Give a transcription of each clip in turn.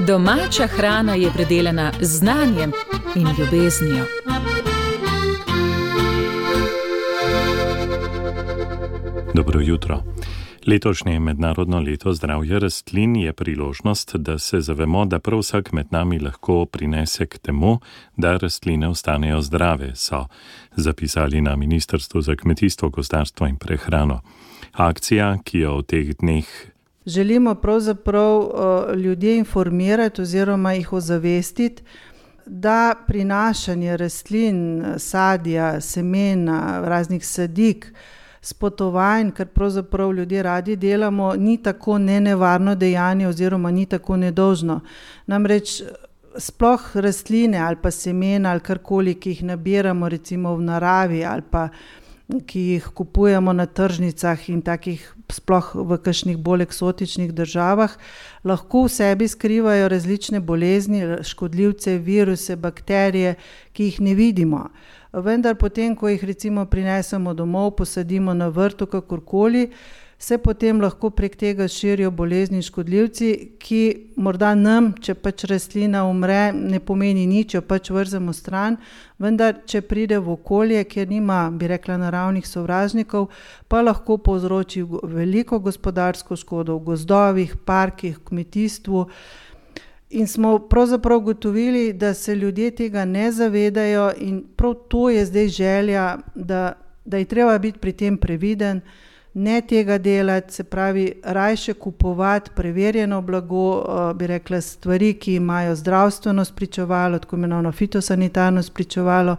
Domača hrana je predelana z znanjem in ljubeznijo. Dobro jutro. Letošnje mednarodno leto zdravja rastlin je priložnost, da se zavemo, da prav vsak med nami lahko prinese k temu, da rastline ostanejo zdrave, so zapisali na Ministrstvu za kmetijstvo, gozdarstvo in prehrano. Akcija, ki jo v teh dneh želimo pravzaprav ljudje informirati oziroma jih ozavestiti, da prinašanje rastlin, sadja, semena, raznih sadik, spotovanj, kar pravzaprav ljudje radi delamo, ni tako nenevarno dejanje oziroma ni tako nedolžno. Namreč sploh rastline ali pa semena ali karkoli, ki jih nabiramo recimo v naravi ali pa ki jih kupujemo na tržnicah in takih sploh v kakšnih bolj eksotičnih državah, lahko v sebi skrivajo različne bolezni, škodljivce, viruse, bakterije, ki jih ne vidimo. Vendar potem, ko jih recimo prinesemo domov, posadimo na vrtu, kakorkoli, se potem lahko prek tega širijo bolezni in škodljivci, ki morda nam, če pač rastlina umre, ne pomeni nič, jo pač vrzemo stran, vendar če pride v okolje, kjer nima, bi rekla, naravnih sovražnikov, pa lahko povzroči veliko gospodarsko škodo v gozdovih, parkih, kmetijstvu. In smo pravzaprav ugotovili, da se ljudje tega ne zavedajo in prav to je zdaj želja, da je treba biti pri tem previden, ne tega delati, se pravi, rajše kupovati preverjeno blago, bi rekla, stvari, ki imajo zdravstveno spričevalo, tako imenovano fitosanitarno spričevalo,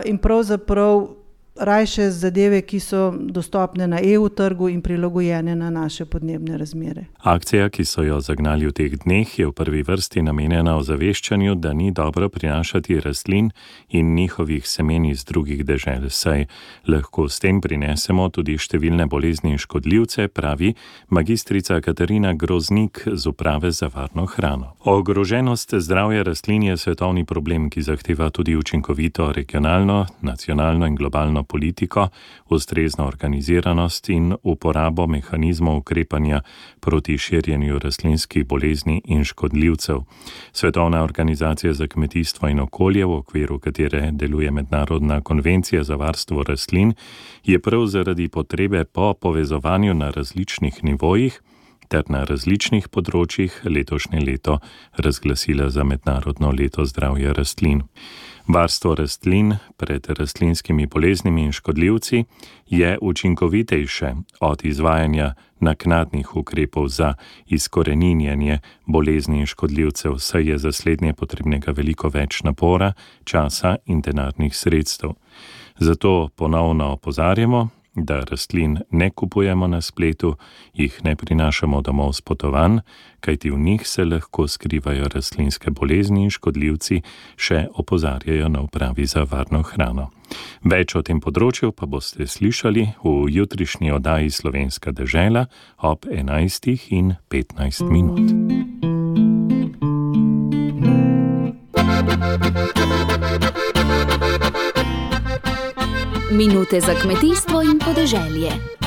in pravzaprav rajše zadeve, ki so dostopne na EU trgu in prilagojene na naše podnebne razmere. Akcija, ki so jo zagnali v teh dneh, je v prvi vrsti namenjena ozaveščanju, da ni dobro prinašati rastlin in njihovih semen iz drugih dežel, saj lahko s tem prinesemo tudi številne bolezni in škodljivce, pravi magistrica Katarina Groznik z Uprave za varno hrano. Ogroženost zdravja rastlin je svetovni problem, ki zahteva tudi učinkovito regionalno, nacionalno in globalno politiko, ustrezno organiziranost in uporabo mehanizmov ukrepanja proti širjenju rastlinskih bolezni in škodljivcev. Svetovna organizacija za kmetijstvo in okolje, v okviru katere deluje Mednarodna konvencija za varstvo rastlin, je prav zaradi potrebe po povezovanju na različnih nivojih ter na različnih področjih letošnje leto razglasila za mednarodno leto zdravja rastlin. Varstvo rastlin pred rastlinskimi boleznimi in škodljivci je učinkovitejše od izvajanja naknadnih ukrepov za izkoreninjenje bolezni in škodljivcev, saj je za slednje potrebnega veliko več napora, časa in denarnih sredstev. Zato ponovno opozarjamo, da rastlin ne kupujemo na spletu, jih ne prinašamo domov s potovanj, kajti v njih se lahko skrivajo rastlinske bolezni in škodljivci, še opozarjajo na Upravi za varno hrano. Več o tem področju pa boste slišali v jutrišnji oddaji Slovenska dežela ob 11:15. Minute za kmetijstvo in podeželje.